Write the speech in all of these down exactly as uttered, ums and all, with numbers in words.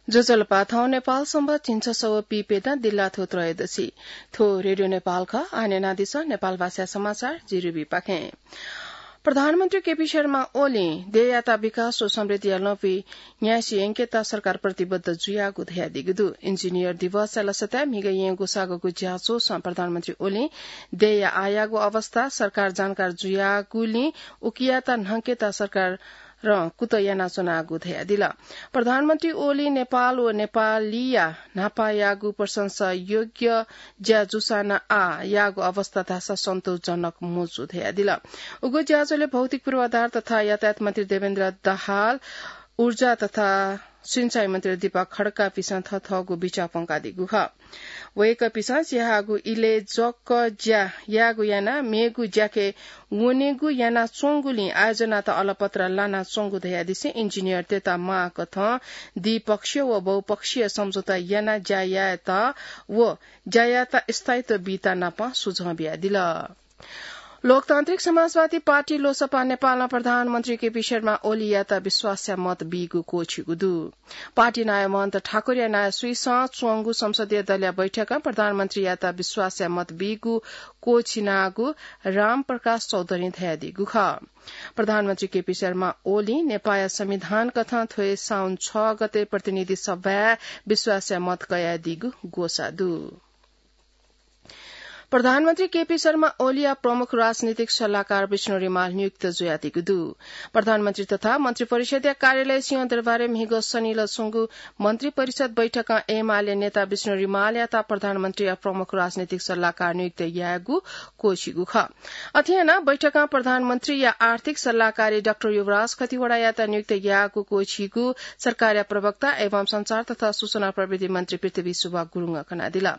ज्वजलपा, थौं नेपाल संवत् झिंछसः व पीप्यदँ दिल्लाथ्व त्रयोदशी। थ्व रेडियो नेपाल खः। आः न्यनादिसँ नेपाल भाषाया समाचार, जि रुबी पाखें। प्रधानमन्त्री केपी शर्मा ओलीं देय्‌यात विकास व समृद्धिया लँपुइ न्यासि यंकेत सरकार प्रतिबद्ध जुयागु धयादीगु दु। इन्जिनियर दिवसया लसताय् म्हिगः यँगू सागःगु ज्याझ्वलय् प्रधानमन्त्री ओलीं देय्‌या आःयागु अवस्था सरकार जानकार जुयागुलिं उकियात न्हंकेत सरकार रं कुतः यानाच्वनागु धयादिल। प्रधानमन्त्री ओलीं नेपाल व नेपालीया न्हापायागु प्रशंसा योग्य ज्या जूसां नं आःयागु अवस्था धाःसा सन्तोषजनक मजू धयादिल। उगु ज्याझ्वलय् भौतिक पूर्वाधार तथा यातायात मन्त्री देवेन्द्र दाहाल, ऊर्जा तथा सिँचाइ मन्त्री दीपक खड्कापिसं थःथःगु बिचाः प्वंकादीगु खः। वय्‌कःपिसं स्याःगु इलय् जक ज्या यायेगु यानाः मेगु ज्याखँय् वनेगु यानाच्वंगुलिं आयोजनात अलपत्र लानाच्वंगु धयादिसें इन्जिनियरतय्‌त माःकथं द्विपक्षीय व बहुपक्षीय सम्झौता यानाः ज्या यायेत व ज्या यायेत स्थायित्व बीत नापं सुझाव बियादिल। लोकतान्त्रिक समाजवादी पार्टी लोसपा नेपालं प्रधानमन्त्री केपी शर्मा ओलीयात विश्वासया मत बीगु क्वःछिगु दु। पार्टी नायः महन्त ठाकुरया नायःसुइसं च्वंगु संसदीय दलया बैठकं प्रधानमन्त्रीयात विश्वासया मत बीगु क्वःछिनागु रामप्रकाश चौधरीं धयादीगु खः। प्रधानमन्त्री केपी शर्मा ओलीं नेपाःया संविधान कथं थ्व साउन छ गते प्रतिनिधि सभाय् विश्वासया मत कयादीगु ग्वसाः दु। प्रधानमन्त्री केपी शर्मा ओलीया प्रमुख राजनीतिक सल्लाहकार विष्णु रिमाल नियुक्त जुयादीगु दु। प्रधानमन्त्री तथा मन्त्री परिषदया कार्यालय सिंहदरबारय् म्हिगः सनिलय् च्वंगु मन्त्री परिषद बैठकं एमाले नेता विष्णु रिमालयात प्रधानमन्त्रीया प्रमुख राजनीतिक सल्लाहकार नियुक्त यायेगु क्वःछिगु खः। अथे यानाः बैठकं प्रधानमन्त्रीया आर्थिक सल्लाहकारी डाक्टर युवराज खतिवडायात नियुक्त यायेगु क्वःछिगु सरकारया प्रवक्ता एवं सञ्चार तथा सूचना प्रविधि मन्त्री पृथ्वी सुब्बा गुरुङं कनादिल।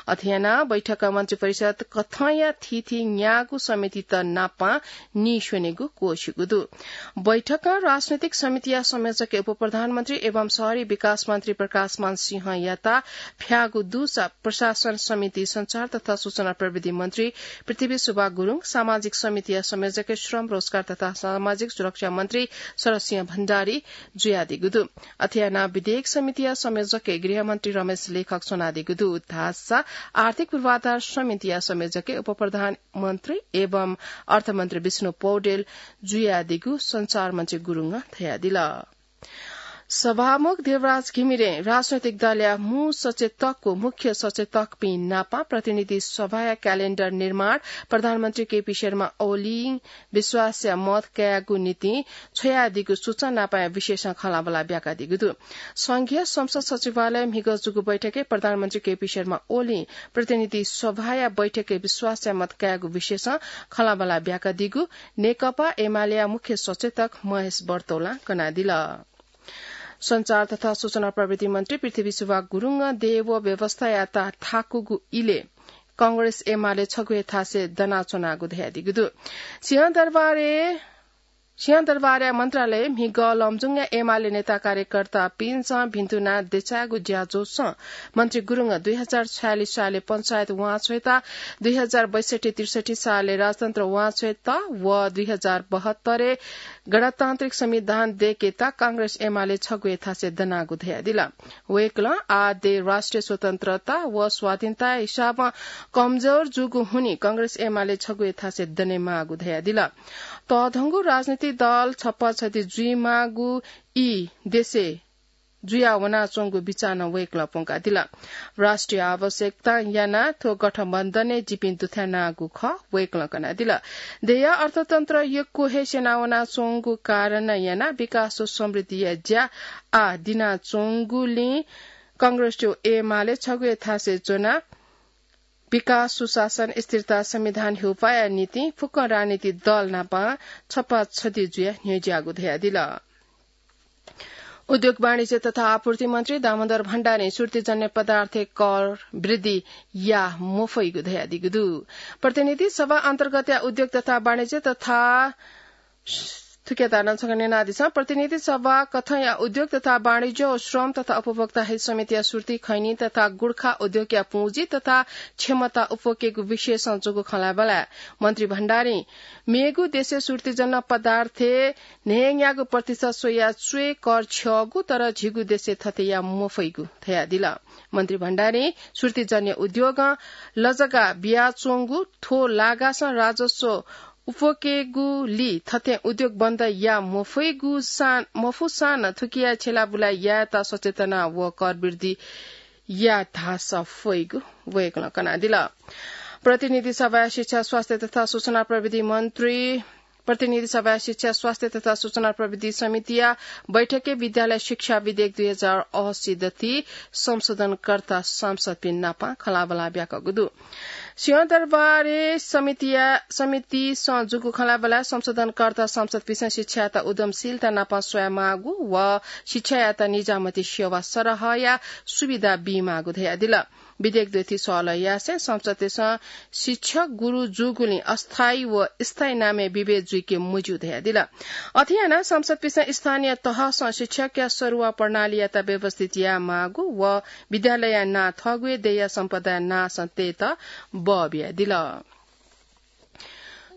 अथे यानाः बैठकं मन्त्री परिषद कथंया थीथी न्यागू समितित नापं नीस्वनेगु क्वःछिगु दु। बैठकं राजनैतिक समितिया संयोजकय् उपप्रधानमन्त्री एवं शहरी विकास मन्त्री प्रकाशमान सिंहयात फ्याःगु दुसा प्रशासन समिति, सञ्चार तथा सूचना प्रविधि मन्त्री पृथ्वी सुब्बा गुरुङ, सामाजिक समितिया संयोजकय् श्रम, रोजगार तथा सामाजिक सुरक्षा मन्त्री शरद सिंह भण्डारी जुयादीगु दु। अथे यानाः विधेयक समितिया संयोजकय् गृहमन्त्री रमेश लेखक च्वनादीगु दु। धाःसा आर्थिक पूर्वाधार समितिया संयोजकय् उपप्रधानमन्त्री एवं अर्थमन्त्री विष्णु पौडेल जुयादीगु सञ्चार मन्त्री गुरुङं धयादिल। सभामुख देवराज घिमिरें राजनैतिक दलया मू सचेतक व मुख्य सचेतकपिं नापं प्रतिनिधि सभाया क्यालेण्डर निर्माण प्रधानमन्त्री केपी शर्मा ओलीं विश्वासया मत कायेगु निंतिं छ्वयादीगु सूचना नापंया विशेषं खँल्हाबल्हा ब्याकादीगु दु। संघीय संसद सचिवालयय् म्हिगः जूगु बैठकय् प्रधानमन्त्री केपी शर्मा ओलीं प्रतिनिधि सभाया बैठकय् विश्वासया मत कायेगु विशेषं खँल्हाबल्हा ब्याकादीगु नेकपा एमालेया मुख्य सचेतक महेश बर्तौलां कनादिल। सञ्चार तथा सूचना प्रविधि मन्त्री पृथ्वी सुब्बा गुरुङं देय् व व्यवस्थायात थाकूगु इलय् कांग्रेस एमाले छगू हे थासय् दनाच्वनागु धयादीगु दु। सिंहदरबारय्, सिंहदरबारया मन्त्रालयय् म्हिगः लमजुङया एमाले नेता कार्यकर्तापिन्सं भिन्तुना देछायेगु ज्याझ्वलय् मन्त्री गुरुङं दुई हजार छयालिस सालय् पञ्चायत वांछ्वयेत, दुई हजार बैसठ्ठी त्रिसठ्ठी सालय् राजतन्त्र वांछ्वयेत व दुई हजार बहत्तरय् गणतान्त्रिक संविधान दय्केत कांग्रेस एमाले छगू हे थासय् दनागु धयादिल। वय्कलं आः देय् राष्ट्रिय स्वतन्त्रता व स्वाधीनताया हिसाबं कमजोर जूगु हुनिं कांग्रेस एमाले छगू हे थासय् दनेमाःगु धयादिल। तःधंगु राजनीतिक दल छप्पा छधी जुइमाःगु ई देशय् जुया वनाच्वंगु बिचाः नं वय्कलं प्वंकादिल। राष्ट्रिय आवश्यकतां यानाः थ्व गठबन्धनय् जिपिं दुथ्यानागु खः वय्कलं कनादिल। देय्या अर्थतन्त्र यक्व हे स्यनावनाच्वंगु कारणं यानाः विकास व समृद्धिया ज्या आः दिनाच्वंगुलिं कांग्रेस व एमाले छगू हे थासय् च्वनाः विकास, सुशासन, स्थिरता, संविधान ह्यूपाःया निंतिं फुक्क राजनीतिक दल नाप छप्पा छधी जुयाः न्ह्यज्याःगु धयादिल। उद्योग, वाणिज्य तथा आपूर्ति मन्त्री दामोदर भण्डारीं सुर्तीजन्य पदार्थ कर वृद्धि याये मफइगु धयादीगु दु। प्रतिनिधि सभा अन्तर्गतया उद्योग तथा वाणिज्य तथा थुकियात नं छकः न्यनादिसँ। प्रतिनिधि सभा कथंया उद्योग तथा वाणिज्य व श्रम तथा उपभोक्ता हित समितिया सुर्ती खैनी तथा गुर्खा उद्योगया पुँजी तथा क्षमता उप्वकेगु विषयसं जूगु खँल्हाबल्हाय् मन्त्री भण्डारीं मेगु देशय् सुर्तीजन्य पदार्थे न्हय्‌न्यागू प्रतिशत स्वयाः च्वय् कर छ्यःगु, तर झीगु देशय् थथे याये मफइगु धयादिल। मन्त्री भण्डारीं सुर्तीजन्य उद्योगं लजगाः बियाच्वंगु, थ्व लागासं राजस्व उप्वकेगुली थथे उद्योग बन्द याये मफइगु सान, मफुसां नं थुकिया छ्यलाबुला यायेत सचेतना व कर वृद्धि याये धाःसा फइगु वय्‌कलं कनादिल। प्रतिनिधि सभाया शिक्षा, स्वास्थ्य तथा सूचना प्रविधि मन्त्री, प्रतिनिधि सभाया शिक्षा, स्वास्थ्य तथा सूचना प्रविधि समितिया बैठकय् विद्यालय शिक्षा विधेयक दुई हजार असी दथि संशोधनकर्ता सांसदपिं नाप खँल्हाबल्हा ब्याकःगु दु। सिंहदरबारय् समितिया, समितिसं जूगु खँल्हाबल्हाय् संशोधनकर्ता सांसदपिंसं शिक्षायात उद्यमशीलता नाप स्वयामाःगु व शिक्षायात निजामती सेवा सरहया सुविधा बीमाःगु धयादिल। विधेयक दथि सहलह यासें संसदपिंसं शिक्षक गुरु जूगुलिं अस्थायी व स्थायी नामय् विभेद जुइके मज्यू धयादिल। अथे यानाः संसदपिंसं स्थानीय तहसं शिक्षकया सरुवा प्रणालीयात व्यवस्थित यायेमाःगु व विद्यालयया नां थःगु हे देय्‌या सम्पदाया नांसं तयेत बः बियादिल।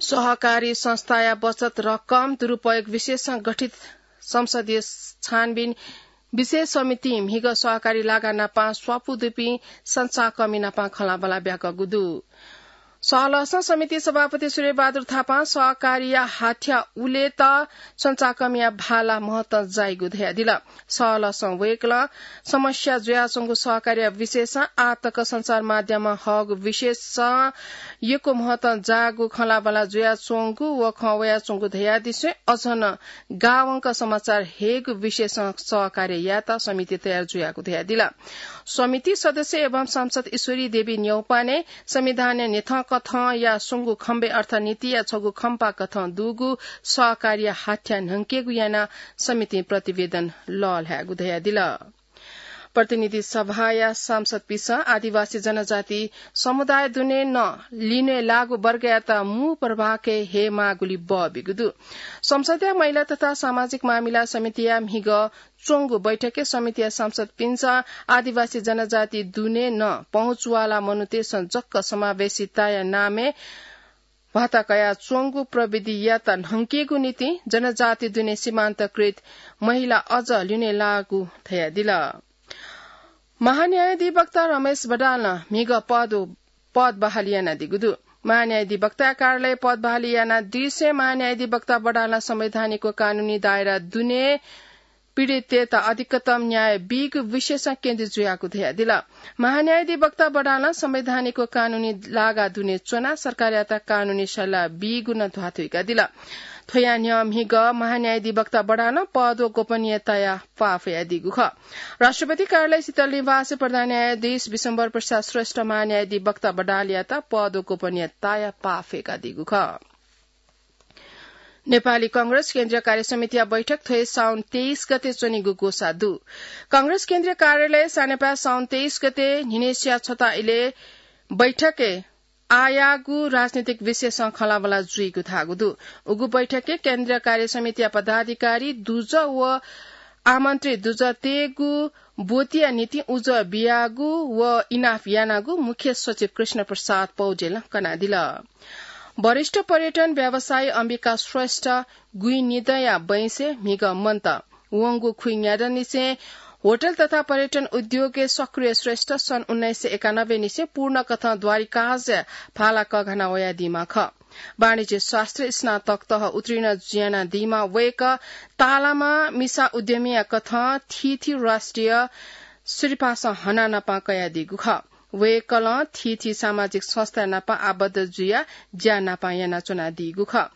सहकारी संस्थाया बचत रकम दुरुपयोग विषयसं गठित संसदीय छानबिन विशेष समितिं म्हिगः सहकारी लागा नाप स्वापू दुपिं संचाकमि नाप खँल्हाबल्हा ब्याकःगु दु। सहलहसं समिति सभापति सूर्यबहादुर थापां सहकारीया हाथ्या उलेत संचाकमिया भाला महतं जाइगु धयादिल। सहलहसं वय्‌कलं समस्या जुयाच्वंगु सहकारीया विषयसं आः तक सञ्चार माध्यमं हःगु विषयसं यक्व महतं जाःगु खँल्हाबल्हा जुयाच्वंगु व खँ वयाच्वंगु धयादिसें अझ नं गावंक समाचार हयेगु विषयसं सहकार्य यायेत समिति तयार जुयागु धयादिल। समिति सदस्य एवं सांसद ईश्वरी देवी न्यौपाने संविधानय् न्ह्यथंकथंया स्वंगू खम्बय् अर्थात् नीतिया छगू खम्पा कथं दुगु सहकारीया हाथ्या न्हंकेगु यानाः समितिं प्रतिवेदन लःल्हायेगु धयादिल। प्रतिनिधि सभाया सांसदपिंसं आदिवासी जनजाति समुदाय दुने नं लिने लाःगु वर्गयात मू प्रभागय् हयेमाःगुली बः बीगु दु। संसदया महिला तथा सामाजिक मामिला समितिया म्हिगः च्वंगु बैठकय् समितिया सांसदपिन्सं आदिवासी जनजाति दुने नं पहुँचवाला मनूतय्सं जक्क समावेशिताया नामय् भत्ता कयाच्वंगु प्रविधियात न्हंकेगु निंतिं जनजाति दुने सीमान्तकृत महिला अझ लिने लाःगु धयादिल। महान्यायाधिवक्ता रमेश बडालं म्हिगः पद, पद बहाली यानादीगु दु। महान्यायाधिवक्ता कार्यालय पद बहाली यानादीसें महान्यायाधिवक्ता बडालं संवैधानिक व कानूनी दायरा दुने पीडितय्त अधिकतम न्याय बीगु विषयसं केन्द्रित जुयागु धयादिल। महान्यायाधिवक्ता बडालं संवैधानिक व कानूनी लागा दुने च्वनाः सरकारयात कानूनी सल्लाह बीगु नं ध्वाथुइकादिल। थ्वया न्ह्यः म्हिगः महान्यायाधिवक्ता बडालं पद व गोपनीयताया पाः फ्वयादीगु खः। राष्ट्रपति कार्यालय शीतल निवासय् प्रधान न्यायाधीश विश्वम्भर प्रसाद श्रेष्ठ महान्यायाधिवक्ता बडालयात पद व गोपनीयताया पाः फ्वय्कादीगु खः। नेपाली कांग्रेस केन्द्रीय कार्य समितिया बैठक थ्व हे साउन तेइस गते च्वनीगु ग्वसाः दु। कांग्रेस केन्द्रीय कार्यालय सानेपाय् साउन तेइस गते न्हिनय्सिया छता इलय् बैठकय् आःयाःगु राजनीतिक विषयसं खँल्हाबल्हा जुइगु धाःगु दु। उगु बैठकय् केन्द्रीय कार्य समितिया पदाधिकारी दुजः व आमन्त्रित दुजःतय्गु ब्वतिया निंतिं उजं बियागु व इनाप यानागु मुख्य सचिव कृष्ण प्रसाद पौडेलं कनादिल। वरिष्ठ पर्यटन व्यवसायी अम्बिका श्रेष्ठ गुइनिदँया बैंसय् म्हिगः मन्त। वंगु खुइन्यादँनिसें होटल तथा पर्यटन उद्योगय् सक्रिय श्रेष्ठ सन् उन्नाइस सय एकानब्बे निसें पूर्ण कथं द्वारिकाजय् भाला कःघाना वयादीम्ह खः। वाणिज्य शास्त्र स्नातक तह उत्तीर्ण यानादीम्ह वय्कः तालामा मिसा उद्यमीया कथं थीथी राष्ट्रिय सिरपासं हना नापं कयादीगु खः। वय्कलं थीथी सामाजिक संस्था नाप आबद्ध जुयाः ज्या नापं यानाच्वनादीगु खः।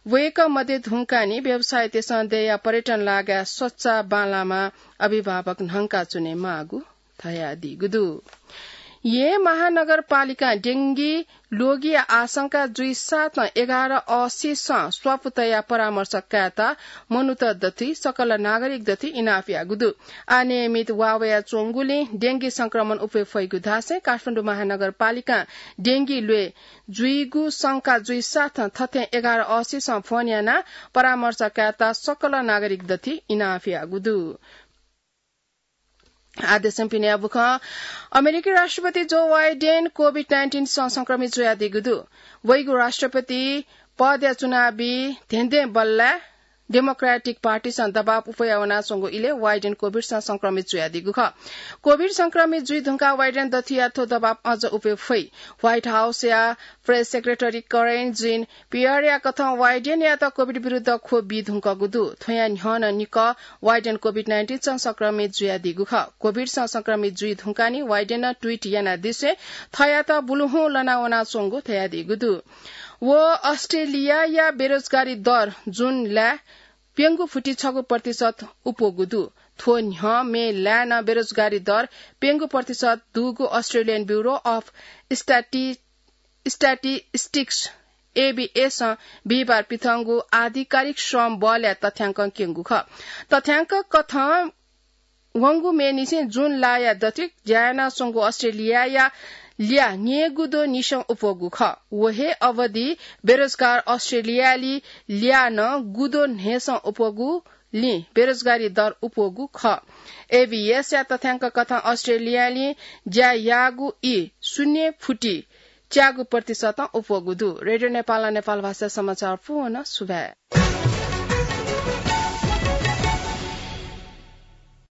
वय्कः मध्य धुंकाःनि व्यवसायीतय्सं देय्या पर्यटन लागाय् सच्चा बांलाःम्ह अभिभावक न्हंकाच्वने माःगु धयादीगु दु। येँ महानगरपालिकां डेंगी ल्वगिया आशंका जुइसाथं एघार अःसिसं स्वापू तयाः परामर्श कायेत मनूत दथुइ सकल नागरिक दथुइ इनाप याःगु दु। अनियमित वाः वयाच्वंगुलिं डेंगी संक्रमण उफे फइगु धासें काठमाडौं महानगरपालिकां डेंगी ल्वय् जुइगु शंका जुइसाथं थथें एघार अःसिसं फोन यानाः परामर्श कायेत सकल नागरिक दथुइ इनाप याःगु दु। आदेशं पिने बुखं अमेरिकी राष्ट्रपति जो बाइडेन कोभिड नाइन्टिन सं संक्रमित जुयादीगु दु। वइगु राष्ट्रपति पदया चुनावी धेंधें बल्लाय् डेमोक्रेटिक पार्टीसं दबाव उफया वनाच्वंगु इलय् बाइडेन कोभिडसं संक्रमित जुयादीगु खः। कोभिड संक्रमित जुइ धुंकाः बाइडेन दथुया थ्व दबाव अझ उफे फइ। व्हाइट हाउसया प्रेस सेक्रेटरी करेन जिन पियरया कथं बाइडेनयात कोभिड विरुद्ध ख्वप बी धुंकूगु दु। थ्वया न्ह्यः नं निकः बाइडेन कोभिड नाइन्टिन सं संक्रमित जुयादीगु खः। कोभिडसं संक्रमित जुइ धुंकाः नि बाइडेनं ट्वीट यानादिसे थःयात बुलुहुँ लना वनाच्वंगु धयादीगु दु। व अस्ट्रेलियाया बेरोजगारी दर जुन लाय् प्यंगू फुति छगू प्रतिशत उप्वःगु दु। थ्व न्ह्यः मे लाय् नं बेरोजगारी दर प्यंगू प्रतिशत दुगु अस्ट्रेलियन ब्युरो अफ स्ट्याटि-, स्ट्याटिस्टिक्स, एबीएसं बिहिबार पिथंगु आधिकारिक श्रम बलया तथ्याङ्कं क्यंगु खः। तथ्याङ्क कथं वंगु मेनिसें जुन लाया दथुइ ज्या यानाच्वंगु अस्ट्रेलियाया ल्याः न्ययेगुद्वः निसं उप्वःगु खः। व हे अवधि बेरोजगार अस्ट्रेलियाली ल्याः नं गुद्वः न्हय्सं उप्वःगुलिं बेरोजगारी दर उप्वःगु खः। एबीएसया तथ्याङ्क कथं अस्ट्रेलियाली ज्या याःगु ई शून्य फुति च्यागू प्रतिशतं उप्वःगु दु। रेडियो नेपालं नेपाल भाषा समाचार पूवं सुभाय्।